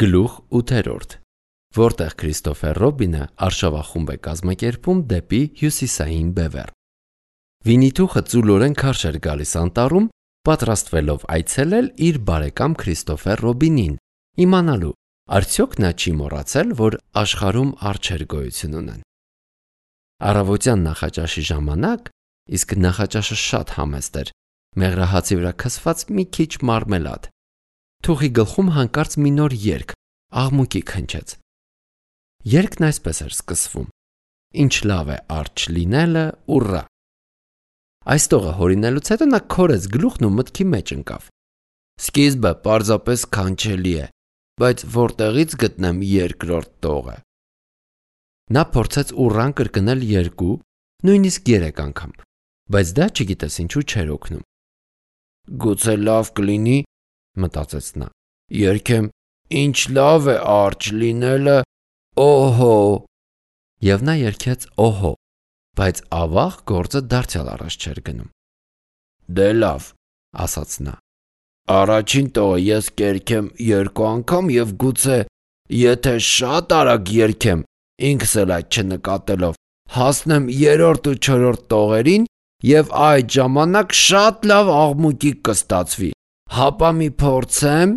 Գլուխ 8, որտեղ Քրիստոֆեր Ռոբինը արշավախումբ է կազմակերպում դեպի հյուսիսային բևեռ։ Վինիթուխը ծուլորեն քարշ էր գալիս անտառում, պատրաստվելով այցելել իր բարեկամ Քրիստոֆեր Ռոբինին, իմանալու, արդյոք նա չի մոռացել, որ աշխարհում արջեր գոյություն ունեն։ Առավոտյան նախաճաշի ժամանակ, իսկ նախաճաշը շատ համեստ էր, մեղրահացի վրա քսված մի քիչ մարմելադ։ Թուխի գլխում հանկարծ մի նոր երգ, աղմուկի քնչեց։ Երգն այսպես էր սկսվում. Ինչ լավ է արջ լինելը, ուռա։ Այս տողը հորինելուց հետո նա քորեց գլուխն ու մտքի մեջ ընկավ։ Սկիզբը պարզապես քանչելի է, բայց որտեղից գտնեմ երկրորդ տողը։ Նա փորձեց ուռան կրկնել 2, նույնիսկ 3 անգամ, բայց դա չգիտես ինչու չէր օգնում։ Գուցե լավ կլինի, մտածեց նա, երգեմ ինչ լավ է արջ լինելը, օհո։ Եվ նա երգեց օհո, բայց ավաղ գործը դարձյալ առաջ չէր գնում։ Դե լավ, ասաց նա, առաջին տողը ես կերգեմ 2 անգամ և գուցե, եթե շատ արագ երգեմ, ինքս էլ այդ չնկատելով, հասնեմ 3-րդ ու 4-րդ տողերին և այդ ժամանակ շատ լավ աղմուկի կստացվի, հապա մի փորձեմ։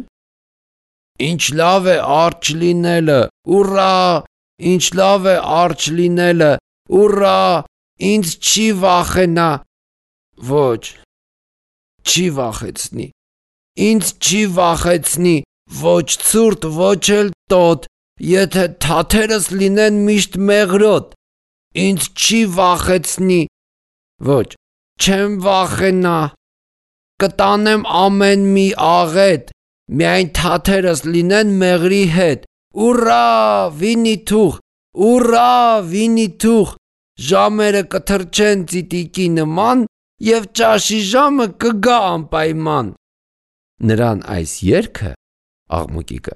Ինչ լավ է արջ լինելը, ուռա, ինչ լավ է արջ լինելը, ուռա, ինձ չի վախենա, ոչ, չի վախեցնի, ինձ չի վախեցնի, ոչ ցուրտ, ոչ էլ տոտ, եթե թաթերս լինեն միշտ մեղրոտ, ինձ չի վախեցնի, ոչ, չեմ վախենա, կտանեմ ամեն մի աղետ, միայն թաթերս լինեն մեղրի հետ, ուռա, Վինիթուխ, ուռա, Վինիթուխ, ժամերը կթրջեն ծիտիկի նման և ճաշի ժամը կգա անպայման։ Նրան այս երգը, աղմուկիկը,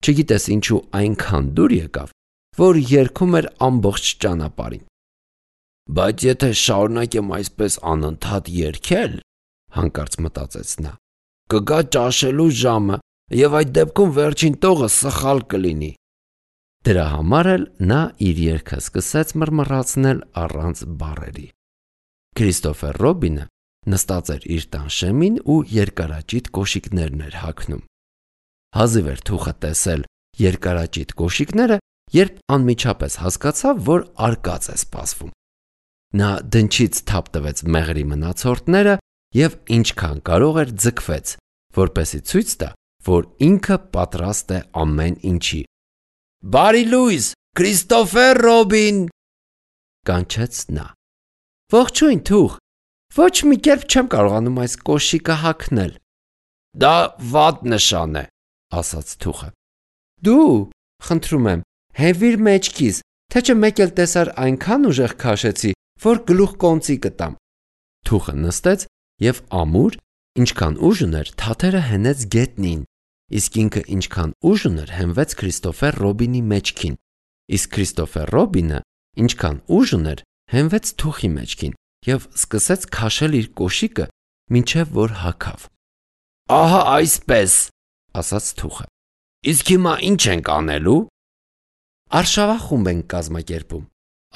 չգիտես ինչու այնքան դուր եկավ, որ երգում էր ամբողջ ճանապարհին։ Բայց եթե շարունակեմ այսպես անընդհատ երգել, հանկարծ մտածեց նա, կգա ճաշելու ժամը և այդ դեպքում վերջին տողը սխալ կլինի։ Դրա համար էլ նա իր երգը սկսեց մռմռացնել առանց բառերի։ Քրիստոֆեր Ռոբինը նստած էր իր տան շեմին ու երկարաճիտ կոշիկներն էր հագնում։ Հազիվ էր Թուխը տեսել երկարաճիտ կոշիկները, երբ անմիջապես հասկացավ, որ արկած է սպասվում։ Նա դնչից թափ տվեց մեղրի մնացորդները և ինչքան կարող էր ձգվեց, որպեսզի ցույց տա, որ ինքը պատրաստ է ամեն ինչի։ Բարի լույս, Քրիստոֆեր Ռոբին, կանչեց նա։ Ողջույն Թուխ, ոչ մի կերպ չեմ կարողանում այս կոշիկը հագնել։ Դա վատ նշան է, ասաց Թուխը։ Դու, խնդրում եմ, հենվիր մեջքիս, թե չէ մեկ էլ տեսար այնքան ուժեղ քաշեցի, որ գլուխ կոնծի կտամ։ Թուխը նստեց և ամուր, ինչքան ուժ ուներ, թաթերը հենեց գետնին, իսկ ինքը ինչքան ուժ ուներ, հենվեց Քրիստոֆեր Ռոբինի մեջքին, իսկ Քրիստոֆեր Ռոբինը ինչքան ուժ ուներ, հենվեց Թուխի մեջքին և սկսեց քաշել իր կոշիկը, մինչև որ հագավ։ Ահա այսպես, ասաց Թուխը։ Իսկ հիմա ինչ ենք անելու։ Արշավախումբ ենք կազմակերպում,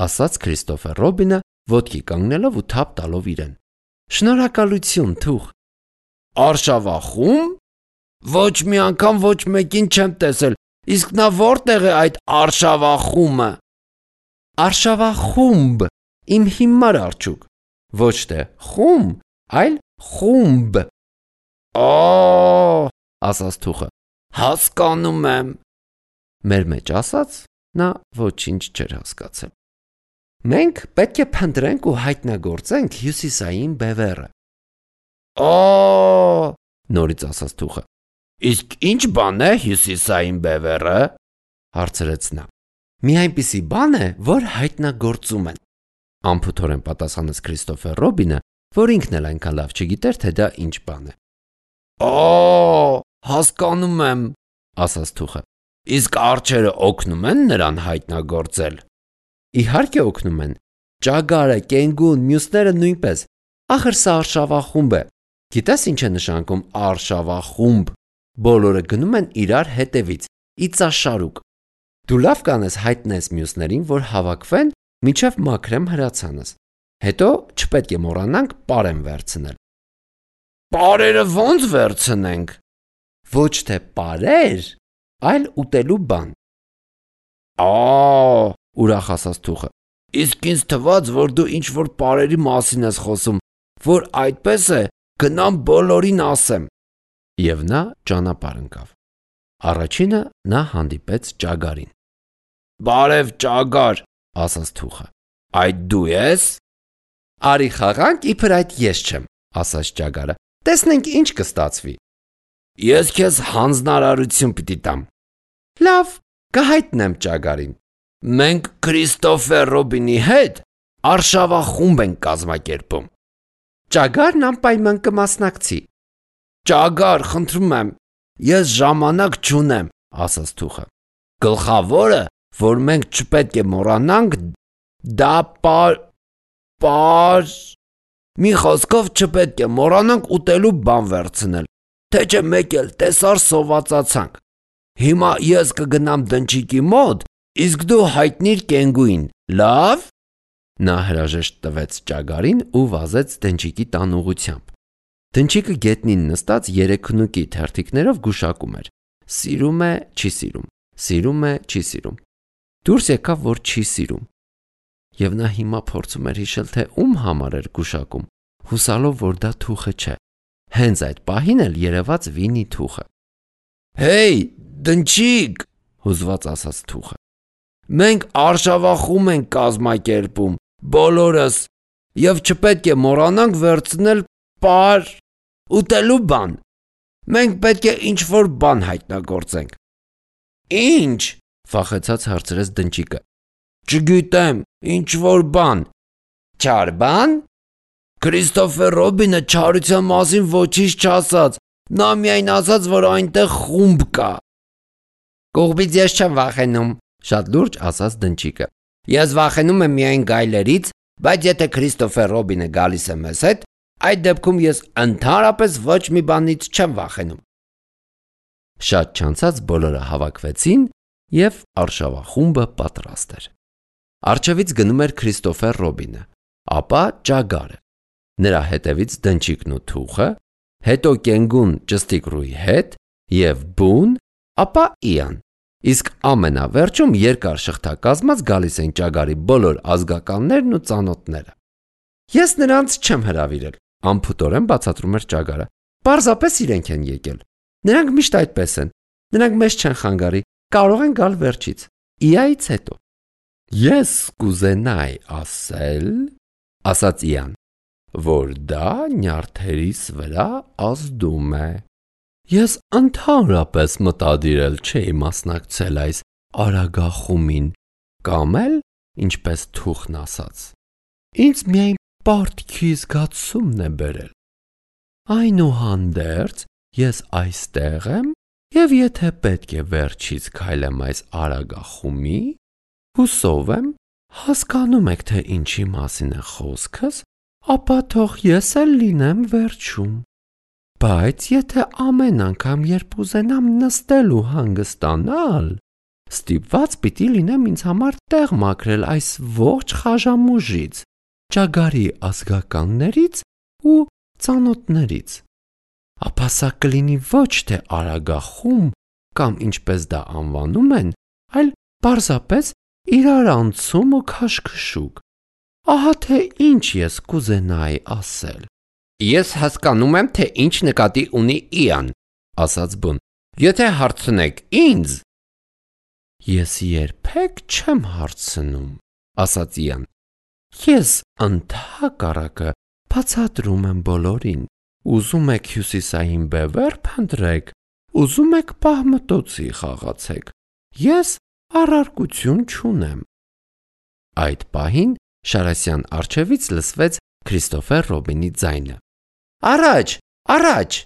ասաց Քրիստոֆեր Ռոբինը, ոտքի կանգնելով ու թափ տալով իրեն։ Շնորհակալություն, Թուխ։ Արշավախումբ։ Ոչ մի անգամ ոչ մեկին չեմ տեսել, իսկ նա որտեղ է այդ արշավախումբը։ Արշավախումբ, իմ հիմար արջուկ, ոչ թե խումբ, այլ խումբ։ Օ, ասաց Թուխը, հասկանում եմ։ Մեր մեջ ասած, նա ոչինչ չէր հասկացել։ Մենք պետք է փնտրենք ու հայտնագործենք հյուսիսային բևեռը։ Օ, նորից ասաց Թուխը։ Իսկ ինչ բան է հյուսիսային բևեռը, հարցրեց նա։ Մի այնպիսի բան է, որ հայտնագործում են, անփութորեն պատասխանեց Քրիստոֆեր Ռոբինը, որ ինքն էլ այնքան լավ չգիտեր, թե դա ինչ բան է։ Օ, հասկանում եմ, ասաց Թուխը։ Իսկ արջերը օգնում են նրան հայտնագործել։ Իհարկե օգնում են։ Ճագարը, կենգուն, մյուսները նույնպես։ Ախր սա արշավախումբ է։ Գիտես ինչ է նշանակում արշավախումբ։ Բոլորը գնում են իրար հետևից, իծաշարուկ։ Դու լավ կանես հայտնես մյուսներին, որ հավաքվեն, մինչև մաքրեմ հրացանս։ Հետո չպետք է մոռանանք պարեն վերցնել։ Պարերը ո՞նց վերցնենք։ Ոչ թե պարեր, այլ ուտելու բան։ Ուրախ ասաց Թուխը։ Իսկ ինձ թվաց, որ դու ինչ-որ պարերի մասին ես խոսում, որ այդպես է, գնամ բոլորին ասեմ։ Եվ նա ճանապարհ ընկավ։ Առաջինը նա հանդիպեց ճագարին։ Բարև ճագար, ասաց Թուխը։ Այդ դու ես։ Արի խաղանք, իբր այդ ես չեմ, ասաց ճագարը։ Տեսնենք ինչ կստացվի։ Ես քեզ հանձնարարություն պիտի տամ։ Լավ, կհայտնեմ ճագարին։ Մենք Քրիստոֆեր Ռոբինի հետ արշավախումբ ենք կազմակերպում։ Ճագարն անպայման կմասնակցի։ Ճագար, խնդրում եմ, ես ժամանակ չունեմ, ասաց Թուխը։ Գլխավորը, որ մենք չպետք է մոռանանք, դա մի խոսքով չպետք է մոռանանք ուտելու բան վերցնել, թե չէ մեկ էլ տեսար սովածացանք։ Հիմա ես կգնամ դնչիկի մոտ, իսկ դու հայտնիր կենգուին, լավ։ Նա հրաժեշտ տվեց ճագարին ու վազեց դնչիկի տան ուղղությամբ։ Դնչիկը գետնին նստած երեքնուկի թերթիկներով գուշակում էր։ Սիրում է, չի սիրում, սիրում է, չի սիրում։ Դուրս եկավ, որ չի սիրում։ Եվ նա հիմա փորձում էր հիշել, թե ում համար էր գուշակում, հուսալով, որ դա Թուխը չէ։ Հենց այդ պահին էլ երևաց Վինի Թուխը։ Հեյ, դնչիկ, հուզված ասաց Թուխը։ Մենք արշավախումբ ենք կազմակերպում, բոլորս, եւ չպետք է մոռանանք վերցնել ուտելու բան։ Մենք պետք է ինչ-որ բան հայտնագործենք։ Ինչ, վախեցած հարցրեց դնչիկը։ Չգիտեմ, ինչ-որ բան։ Չար բան։ Քրիստոֆեր Ռոբինը չարության մասին ոչինչ չասաց։ Նա միայն ասաց, որ այնտեղ խումբ կա։ Կողմից ես չեմ վախենում, շատ լուրջ ասաց դնչիկը։ Ես վախենում եմ միայն գայլերից, բայց եթե Քրիստոֆեր Ռոբինը գալիս է մեզ հետ, այդ դեպքում ես ընդհանրապես ոչ մի բանից չեմ վախենում։ Շատ չանցած բոլորը հավաքվեցին եւ արշավախումբը պատրաստ էր։ Առջևից գնում էր Քրիստոֆեր Ռոբինը, ապա ճագարը, նրա հետևից դնչիկն ու Թուխը, հետո կենգուն ճստիկրուի հետ եւ բուն, ապա Իան։ Իսկ ամենավերջում երկար շղթակազմած գալիս են ճագարի բոլոր ազգականներն ու ծանոթները։ Ես նրանց չեմ հրավիրել, անփութորեն բացատրում էր ճագարը։ Պարզապես իրենք են եկել։ Նրանք միշտ այդպես են։ Նրանք մեզ չեն խանգարի, կարող են գալ վերջից։ Իայից հետո։ Ես կուզենայի ասել, ասաց Իան, որ դա նյարդերիս վրա ազդում է։ Ես ընդհանրապես մտադիրել չէի մասնակցել այս արագախումին, կամ էլ, ինչպես Թուխն ասաց, ինձ միայն պարտքի զգացումն է բերել։ Այնուհանդերձ ես այստեղ եմ, եւ եթե պետք է վերջից քայլեմ այս արագախումի, հուսով եմ, հասկանում եք, թե ինչի մասին է խոսքս, ապա թող ես էլ լինեմ վերջում։ Բայց եթե ամեն անգամ, երբ ուզենամ նստել ու հանգստանալ, ստիպված պիտի լինեմ ինձ համար տեղ մաքրել այս ողջ խաժամուժից, ճագարի ազգականներից ու ծանոթներից, ապա սա կլինի ոչ թե արագախումբ կամ ինչպես դա անվանում են, այլ պարզապես իրարանցում ու քաշքշուկ։ Ահա թե ինչ ես կուզենայի ասել։ Ես հասկանում եմ, թե ինչ նկատի ունի Իան, ասաց բուն։ Եթե հարցնեք ինձ։ Ես երբեք չեմ հարցնում, ասաց Իան։ Ես ընդհակառակը բացատրում եմ բոլորին։ Ուզում եք հյուսիսային բևեռ փնտրեք, ուզում եք պահմտոցի խաղացեք։ Ես առարկություն չունեմ։ Այդ պահին Շարասյան առջևից լսվեց Քրիստոֆեր Ռոբինի ձայնը։ Առաջ, առաջ։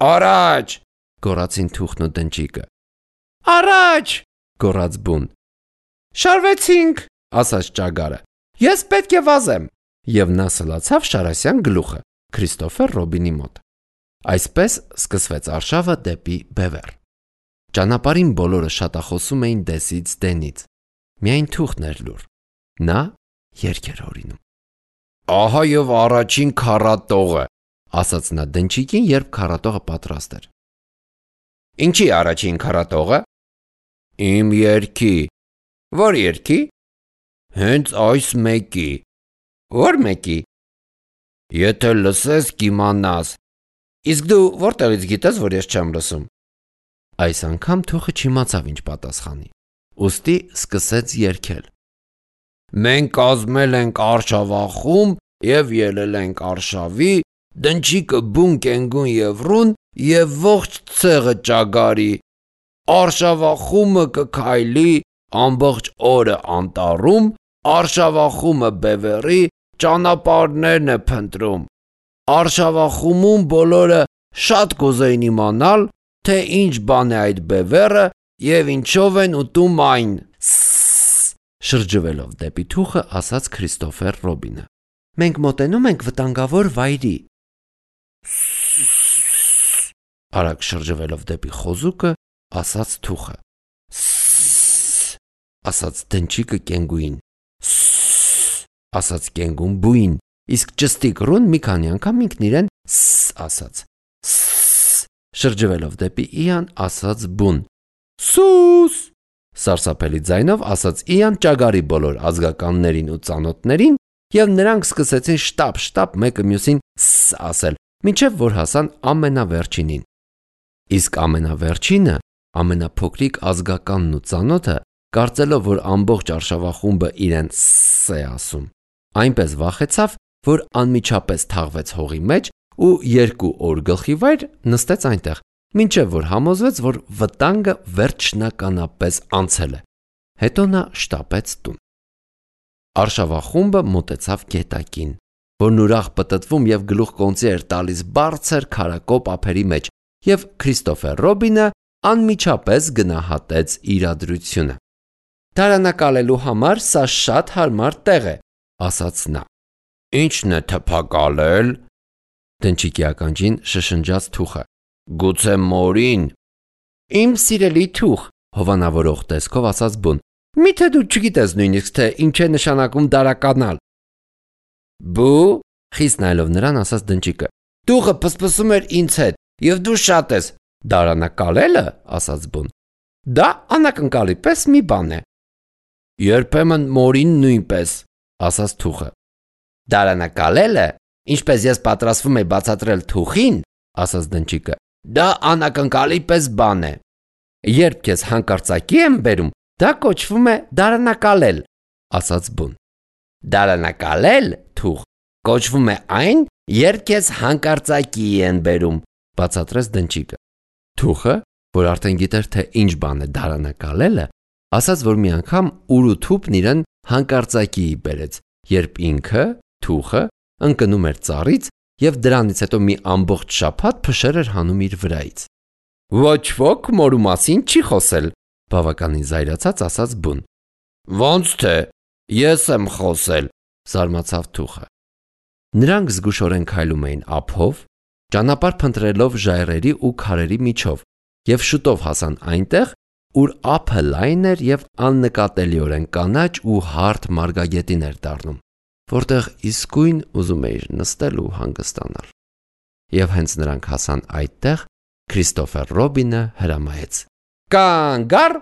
Առաջ, գոռացին Թուխն ու դնչիկը։ Առաջ, գոռաց բուն։ Շարվեցինք, ասաց ճագարը։ Ես պետք է վազեմ։ Եվ նա սլացավ Շարասյան գլուխը Քրիստոֆեր Ռոբինի մոտ։ Այսպես սկսվեց արշավը դեպի բևեռ։ Ճանապարհին բոլորը շատախոսում էին դեսից դենից։ Միայն թուղթն էր լուռ։ Նա երգ էր հորինում։ «Ահա եւ առաջին քառատողը», ասաց նա դնչիկին, երբ քառատողը պատրաստ էր։ «Ինչի առաջին քառատողը»։ «Իմ երգի»։ «Ո՞ր երգի»։ «Հենց այս մեկի»։ «Ո՞ր մեկի»։ «Եթե լսես, կիմանաս»։ «Իսկ դու որտեղից գիտես, որ ես չեմ լսում»։ Այս անգամ թուղթը չիմացավ ինչ պատասխանի, ուստի սկսեց երգել. «Մենք կազմել ենք արշավախումբ եւ ելել ենք արշավի, դնչիկը բուն կենգուն եւ ռուն եւ ողջ ցեղը ճագարի, արշավախումբը կքայլի ամբողջ օրը անտառում, արշավախումբը բևեռի ճանապարհներն է փնտրում, արշավախումբում բոլորը շատ կուզեին իմանալ, թե ինչ բան է այդ բևեռը եւ ինչով են ուտում այն»։ Շրջվելով դեպի թուղթը, ասաց Քրիստոֆեր Ռոբինը։ «Մենք մոտենում ենք վտանգավոր վայրի»։ Արագ շրջվելով դեպի խոզուկը, ասաց թուղթը։ Ասաց դնչիկը կենգուին։ Ասաց կենգուն բուին, իսկ ճստիկ ռուն մի քանի անգամ ինքն իրեն ասաց։ Շրջվելով դեպի Իան, ասաց բուն։ «Սուս»։ Սարսափելի ձայնով ասաց Իան ճագարի բոլոր ազգականներին ու ծանոթներին, եւ նրանք սկսեցին շտապ մեկը մյուսին ասել, մինչեւ որ հասան ամենավերջինին։ Իսկ ամենավերջինը, ամենափոքրիկ ազգականն ու ծանոթը, կարծելով, որ ամբողջ արշավախումբը իրեն է ասում, այնպես վախեցավ, որ անմիջապես թաղվեց հողի մեջ ու 2 օր գլխիվայր նստեց այնտեղ, մինչև որ համոզվեց, որ վտանգը վերջնականապես անցել է։ Հետո նա շտապեց տուն։ Արշավախումբը մոտեցավ գետակին, որն ուրախ պտտվում եւ գլուխկոնծի էր տալիս բարձր քարակոպ ափերի մեջ, եւ Քրիստոֆեր Ռոբինը անմիջապես գնահատեց իրադրությունը։ «Դարանակալելու համար սա շատ հարմար տեղ է», ասաց նա։ «Ի՞նչն է թփակալել»։ Դնչիկի ականջին շշնջաց թուղթը։ «Գուցե մորին»։ «Իմ սիրելի թուղթ», հովանավորող տեսքով ասաց բուն, «միթե դու չգիտես նույնիսկ, թե ինչ է նշանակում դարականալ»։ «Բու», խիստ նայելով նրան, ասաց դնչիկը, «Թուղթը փսփսում էր ինձ հետ, եւ դու շատ ես»։ «Դարանակալելը», ասաց բուն, «դա անակնկալի պես մի բան է»։ «Երբեմն մորին նույնպես», ասաց թուղթը։ «Դարանակալելը, ինչպես ես պատրաստվում եմ բացատրել թուղթին», ասաց դնչիկը, «դա անակնկալի պես բան է։ Երբ քեզ հանկարծակի եմ բերում, դա կոչվում է դարանակալել», ասաց բուն։ «Դարանակալել, թուղթ, կոչվում է այն, երբ քեզ հանկարծակի են բերում», բացատրեց դնչիկը։ Թուղթը, որ արդեն գիտեր, թե ինչ բան է դարանակալելը, ասաց, որ մի անգամ ուր ու թուփն իրեն հանկարծակիի բերեց, երբ ինքը, թուղթը, ընկնում էր ծառից եւ դրանից հետո մի ամբողջ շաբաթ փշեր էր հանում իր վրայից։ «Ոչ ոք մորու մասին չի խոսել», բավականին զայրացած ասաց բուն։ «Ոնց թե, ես եմ խոսել», զարմացավ թուղթը։ Նրանք զգուշորեն քայլում էին ափով, ճանապարհ փնտրելով ժայռերի ու քարերի միջով, եւ շուտով հասան այնտեղ, ուր ափը լայն էր եւ աննկատելիորեն կանաչ ու հարթ մարգագետին էր դառնում, որտեղ իսկույն ուզում էիր նստել ու հանգստանալ։ Եվ հենց նրանք հասան այդտեղ, Քրիստոֆեր Ռոբինը հրամայեց. «Կանգ առ»,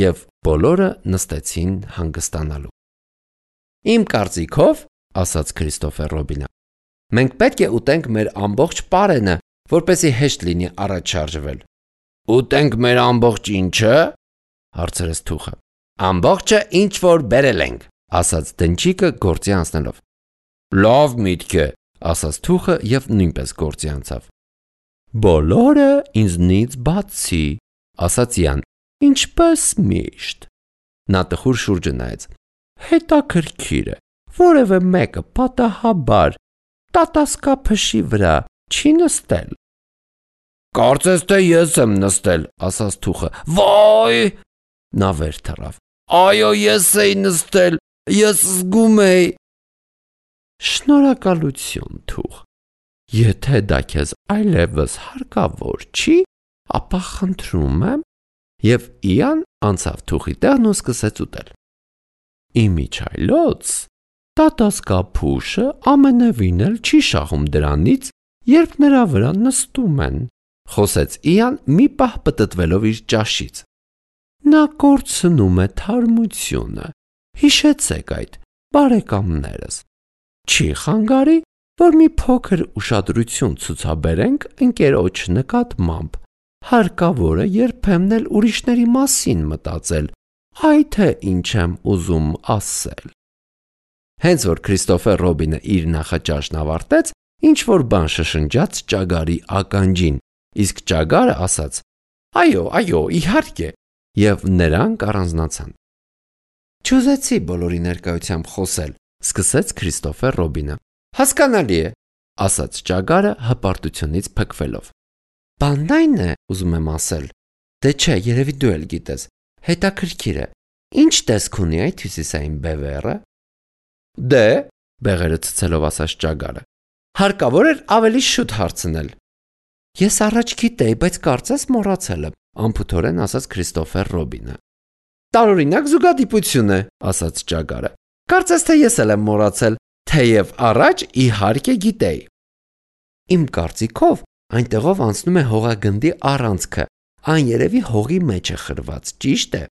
եւ բոլորը նստեցին հանգստանալու։ «Իմ կարծիքով», ասաց Քրիստոֆեր Ռոբինը, «մենք պետք է ուտենք մեր ամբողջ պարենը, որպեսզի հեշտ լինի առաջ շարժվել»։ «Ուտենք մեր ամբողջ ինչը», հարցրեց թուղթը։ «Ամբողջը, ինչ որ բերել ենք», ասաց դնչիկը գործի անցնելով։ «Լավ միտք է», ասաց թուղթը եւ նույնպես գործի անցավ։ «Բոլորը ինձնից բացի», ասաց Յան, «ինչպես միշտ»։ Նա տխուր շուրջը նայեց։ «Հետաքրքիր է, որևէ մեկը պատահաբար տատասկափշի վրա չի նստել»։ «Կարծես թե ես եմ նստել», ասաց թուղթը։ «Վայ»։ Նա վեր թռավ։ «Այո, ես էի նստել, ես զգում էի»։ «Շնորհակալություն, թուղթ։ Եթե դա քեզ այլևս հարկավոր չի, ապա խնդրում եմ, Եվ Իան անցավ թուխի տեղն ու սկսեց ուտել։ Իմիջայլոց տատասկափուշը ամենևին էլ չի շահում դրանից, երբ նրա վրա նստում են, խոսեց Իան մի պահ պտտվելով իր ճաշից։ Նա կորցնում է թարմությունը, հիշեցեք այդ, բարեկամներս։ Չի խանգարի, որ մի փոքր ուշադրություն ցուցաբերենք ընկերոջ նկատմամբ, հարկավոր է երբեմն էլ ուրիշների մասին մտածել, այ թե ինչ եմ ուզում ասել։ Հենց որ Քրիստոֆեր Ռոբինը իր նախաճաշն ավարտեց, ինչ-որ բան շշնջաց ճագարի ականջին, իսկ ճագարը ասաց. Այո, իհարկե, եւ նրանք առանձնացան։ Չուզեցի բոլորի ներկայությամբ խոսել, սկսեց Քրիստոֆեր Ռոբինը։ Հասկանալի է, ասաց ճագարը հպարտությունից փքվելով։ Բանն այն է, ուզում եմ ասել, դե չէ, երևի դու էլ գիտես, հետաքրքիր է, ինչ տեսք ունի այդ հյուսիսային բևեռը։ Դե, բեղերը ցցելով ասաց ճագարը, հարկավոր էր ավելի շուտ հարցնել։ Ես առաջ գիտեի, բայց կարծես մոռացել եմ, անփութորեն ասաց Քրիստոֆեր Ռոբինը։ Տարօրինակ զուգադիպություն է, ասաց ճագարը։ Կարծես թե ես էլ եմ մոռացել, թեև առաջ իհարկե գիտեի։ Իմ կարծիքով այնտեղով անցնում է հողագնդի առանցքը, այն երևի հողի մեջ է խրված, ճիշտ է։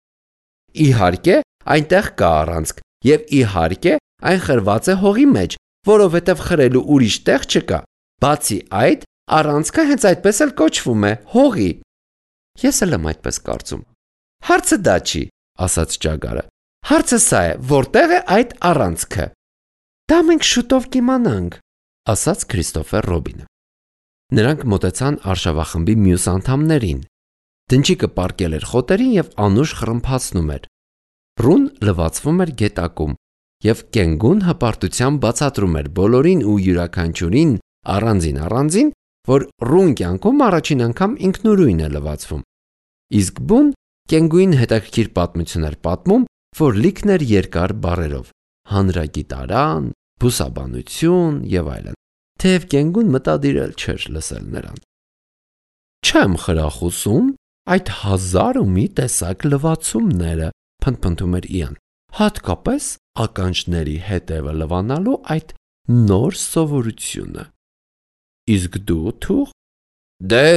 Իհարկե, այնտեղ կա առանցք, եւ իհարկե, այն խրված է հողի մեջ, որովհետև խրելու ուրիշ տեղ չկա։ Բացի այդ, առանցքը հենց այդպես էլ կոչվում է հողի։ Ես էլ եմ այդպես կարծում։ Հարցը դա չի, ասաց ճագարը։ Հարցը սա է, որտեղ է այդ առանցքը։ Դա մենք շուտով կիմանանք, ասաց Քրիստոֆեր Ռոբինը։ Նրանք մոտեցան արշավախմբի մյուս անդամներին։ Դնչիկը պառկել էր խոտերին եւ անուշ խռմփացնում էր։ Ռուն լվացվում էր գետակում եւ Կենգուն հպարտությամբ բացատրում էր բոլորին ու յուրաքանչյուրին առանձին, որ Ռուն կյանքում առաջին անգամ ինքնուրույն է լվացվում։ Իսկ Բուն Կենգուին հետաքրքիր պատմություն էր պատմում, որ լիքն էր երկար բառերով՝ հանրագիտարան, բուսաբանություն եւ այլն, թեև Կենգուն մտադիր էլ չէր լսել նրան։ Չեմ խրախուսում այդ 1001 տեսակ լվացումները, փնթփնթում էր Իան, հատկապես ականջների հետևը լվանալու այդ նոր սովորությունը։ Իսկ դու թուղ։ Դե,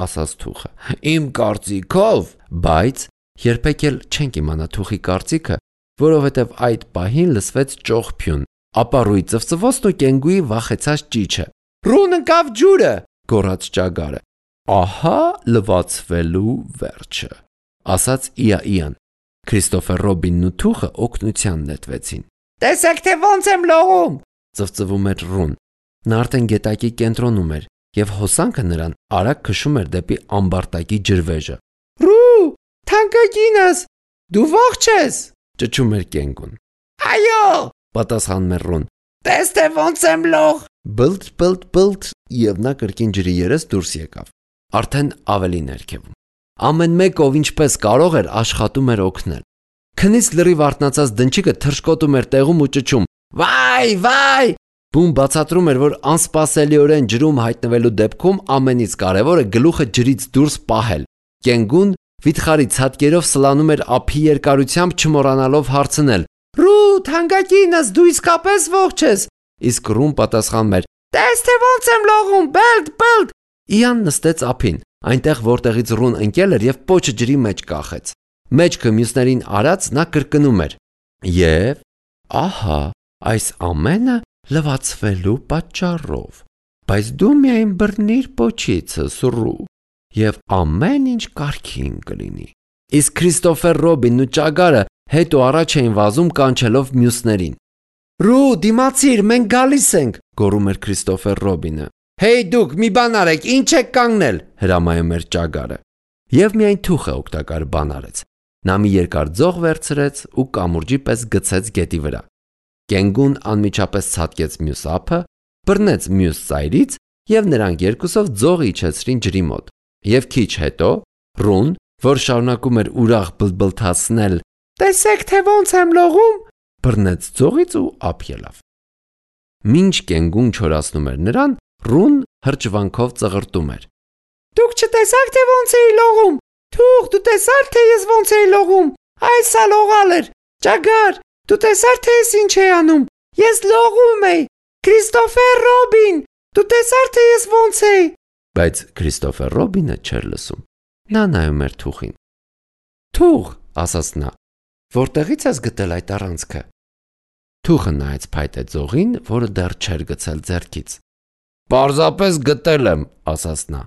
ասաց թուղը, իմ կարծիքով, բայց երբեք էլ չենք իմանա թուղի կարծիքը, որովհետև այդ պահին լսվեց ճողփյուն, ապառուի ծվծվոցն ու Կենգուի վախեցած ճիչը։ Ռուն ընկավ ջուրը, գոռաց ճագարը։ Ահա լվացվելու վերջը, ասաց Իան։ Քրիստոֆեր Ռոբինն ու թուղը օգնության նետվեցին։ Տեսեք, թե ոնց եմ լողում, ծվծվում էր Ռուն։ Նա արդեն գետակի կենտրոնում էր եւ հոսանքը նրան արագ քշում էր դեպի ամբարտակի ջրվեժը։ Ռու, թանկագինս, դու ողջ ես, ճչում էր Կենգուն։ Այո, պատասխանում էր Ռուն։ Տես թե ոնց եմ լող։ Բլթ, եւ նա կրկին ջրի երես դուրս եկավ։ Արդեն ավելի ներքևում։ Ամեն մեկով ինչպես կարող էր աշխատում էր օգնել։ Քնից լրիվ արթնացած դնչիկը թռչկոտում էր տեղում ու ճչում. Վայ։ Բուն բացատրում էր, որ անսպասելիորեն ջրում հայտնվելու դեպքում ամենից կարևորը գլուխը ջրից դուրս պահել։ Կենգուն վիթխարի ցատկերով սլանում էր ափի երկարությամբ, չմոռանալով հարցնել. Ռու, թանկագինս, դու իսկապես ողջ ես։ Իսկ Ռուն պատասխանում էր. Տես թե ոնց եմ լողում, բլթ։ Իան նստեց ափին, այնտեղ որտեղից Ռուն ընկել էր եւ պոչը ջրի մեջ կախեց։ Մեջքը մյուսներին արած նա կրկնում էր. Եվ ահա այս ամենը լվացվելու պատճառով, բայց դու միայն բռնիր պոչիցս, Ռու, եւ ամեն ինչ կարգին կլինի։ Իսկ Քրիստոֆեր Ռոբինն ու ճագարը հետ ու առաջ էին վազում կանչելով մյուսներին։ Ռու, դիմացիր, մենք գալիս ենք, գոռում էր Քրիստոֆեր Ռոբինը։ Հեյ դուք, մի բան արեք, ինչ եք կանգնել, հրամայում էր ճագարը։ Եվ միայն թուխը օգտակար բան արեց։ Նա մի երկար ձող վերցրեց ու կամուրջի պես գցեց գետի վրա։ Կենգուն անմիջապես ցատկեց մյուս ափը, բռնեց մյուս ծայրից եւ նրանք երկուսով ձողը իջեցրին ջրի մոտ։ Եվ քիչ հետո Ռուն, որ շարունակում էր ուրախ բլբլթացնել, տեսեք թե ոնց եմ լողում, բռնեց ձողից ու ափ ելավ։ Մինչ Կենգուն չորացնում էր նրան, Ռուն հրճվանքով ծղրտում էր. Դուք չտեսաք թե ոնց էի լողում, Թուղ, դու տեսար թե ես ոնց էի լողում։ Այս սա լողալ էր։ Ճագար, դու տեսար թե ես ինչ էի անում։ Ես լողում էի։ Քրիստոֆեր Ռոբին, դու տեսար թե ես ոնց էի։ Բայց Քրիստոֆեր Ռոբինը չէր լսում։ Նա նայում էր թուղին։ Թուղ, ասաց նա, որտեղից ես գտել այդ առանցքը։ Թուղը նայեց փայտե ձողին, որը դեռ չէր գցել ձեռքից։ Պարզապես գտել եմ, ասաց նա։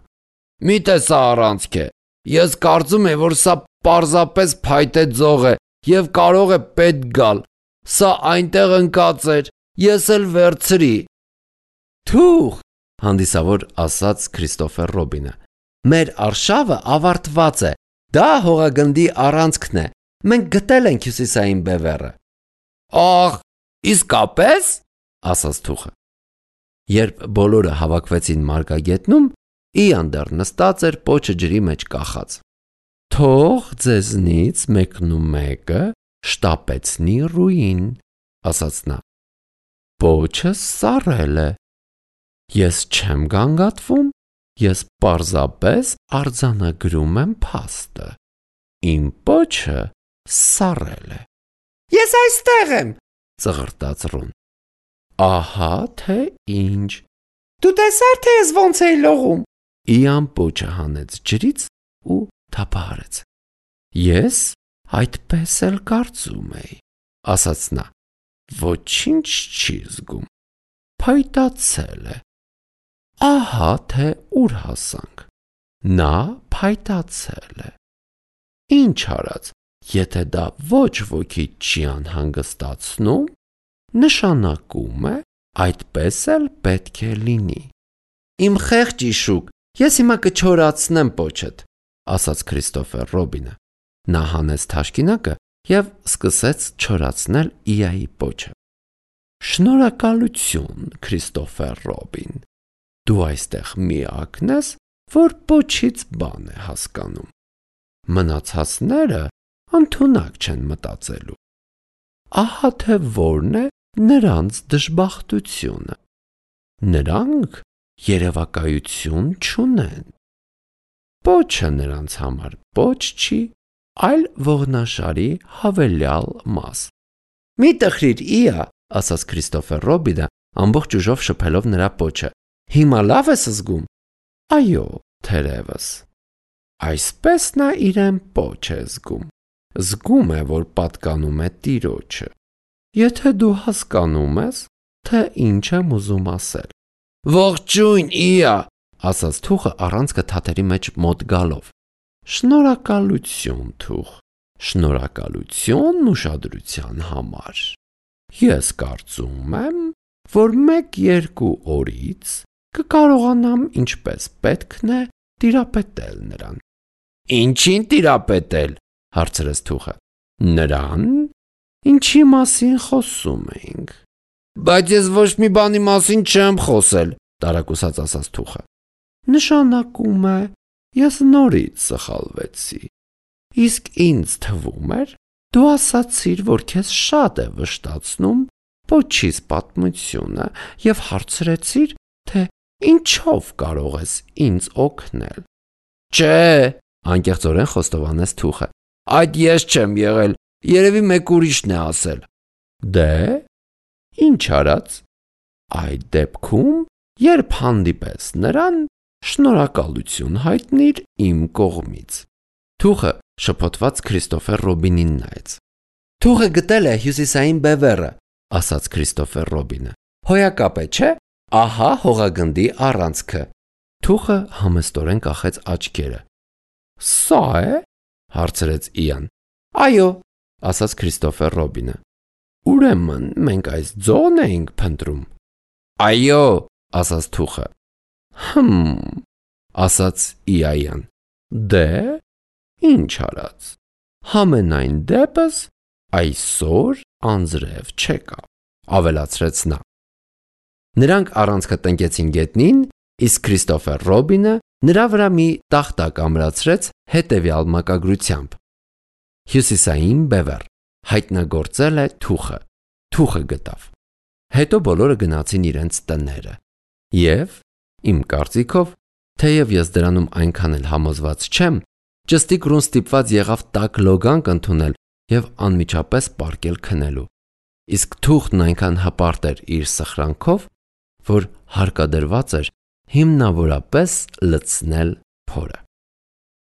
Մի՞թե սա առանցք է։ Ես կարծում եմ, որ սա պարզապես փայտե ձող է եւ կարող է պետք գալ։ Սա այնտեղ ընկած էր, ես էլ վերցրի։ Թուղ, հանդիսավոր ասաց Քրիստոֆեր Ռոբինը։ Մեր արշավը ավարտված է։ Դա հողագնդի առանցքն է։ Մենք գտել ենք հյուսիսային բևեռը։ Ահ, իսկապես, ասաց թուղը։ Երբ բոլորը հավաքվեցին մարգագետնում, Իան դեռ նստած էր պոչը ջրի մեջ կախած։ Թող ձեզնից մեկնումեկը շտապեցնի ռուին, ասաց նա։ Պոչը սառել է։ Ես չեմ գանգատվում, ես պարզապես արձանագրում եմ փաստը։ Իմ պոչը սառել է։ Ես այստեղ եմ, ծղրտաց Ռուն։ Ահա թե ինչ։ Դու տեսար թե ես ոնց էի լողում։ Իան պոչը հանեց ջրից ու թափահարեց։ Ես այդպես էլ կարծում էի, ասաց նա։ Ոչինչ չի զգում։ Փայտացել է։ Ահա թե ուր հասանք։ Նա փայտացել է։ Ինչ արած, եթե դա ոչ ոքի չի անհանգստացնում, նշանակում է այդպես էլ պետք է լինի։ Իմ խեղճ իշուկ, ես հիմա կչորացնեմ պոչդ, ասաց Քրիստոֆեր Ռոբինը։ Նա հանեց թաշկինակը և սկսեց չորացնել Իայի պոչը։ Շնորհակալություն, Քրիստոֆեր Ռոբին։ Դու այստեղ միակն ես, որ պոչից բան է հասկանում։ Մնացածները ընդունակ չեն մտածելու։ Ահա թե որն է նրանց դժբախտությունը։ Նրանք երևակայություն չունեն։ Պոչը նրանց համար պոչ չի, այլ ողնաշարի հավելյալ մաս։ Մի տխրիր Իա, ասաց Քրիստոֆեր Ռոբինը, ամբողջ ուժով շփելով նրա պոչը։ Հիմա լավ ես զգում։ Այո, թերևս։ Այսպես նա իրեն պոչ է զգում։ Զգում է, որ պատկանում է Տիրոջը։ Եթե դու հասկանում ես, թե ինչ եմ ուզում ասել։ Ողջույն, Իա, ասաց թուղը առանցքը թաթերի մեջ մոտ գալով։ Շնորհակալություն, թուղ։ Շնորհակալություն ուշադրության համար։ Ես կարծում եմ, որ 1-2 օրից կկարողանամ ինչպես պետքն է տիրապետել նրան։ Ինչին տիրապետել, հարցրեց թուղը։ Նրան, ինչի մասին խոսում էինք։ Բայց ես ոչ մի բանի մասին չեմ խոսել, տարակուսած ասաց թուղը։ Նշանակում է, ես նորից սխալվեցի։ Իսկ ինձ թվում էր, դու ասացիր, որ քեզ շատ է վշտացնում պոչից պատմությունը և հարցրեցիր, թե ինչով կարող ես ինձ օգնել։ Չէ, անկեղծորեն խոստովանեց թուղը։ Այդ ես չեմ եղել, երևի մեկ ուրիշն է ասել։ Դե, ինչ արած։ Այդ դեպքում, երբ հանդիպես նրան, շնորհակալություն հայտնիր իմ կողմից։ Թուղը շփոթված Քրիստոֆեր Ռոբինին նայեց։ Թուղը գտել է հյուսիսային բևեռը, ասաց Քրիստոֆեր Ռոբինը։ Հոյակապ է, չէ։ Ահա հողագնդի առանցքը։ Թուղը համեստորեն կախեց աչքերը։ Սա է, հարցրեց Իան։ Այո, ասաց Քրիստոֆեր Ռոբինը։ Ուրեմն մենք այս ձողն էինք փնտրում։ Այո, ասաց թուղը։ Ասաց Իան։ Դե, ինչ արած։ Համենայն դեպս այսօր անձրև չեկա, ավելացրեց նա։ Նրանք առանցքը տնկեցին գետնին, իսկ Քրիստոֆեր Ռոբինը նրա վրա մի տախտակ ամրացրեց հետևյալ մակագրությամբ. Հյուսիսային բևեռ, հայտնագործել է թուղը, թուղը գտավ։ Հետո բոլորը գնացին իրենց տները։ Եվ, իմ կարծիքով, թեև ես դրանում այնքան էլ համոզված չեմ, Ճստիկրուն ստիպված եղավ տաք լոգանք ընդունել և անմիջապես պառկել քնելու, իսկ թուղթն այնքան հպարտ էր իր սխրանքով, որ հարկադրված էր հիմնավորապես լցնել փորը։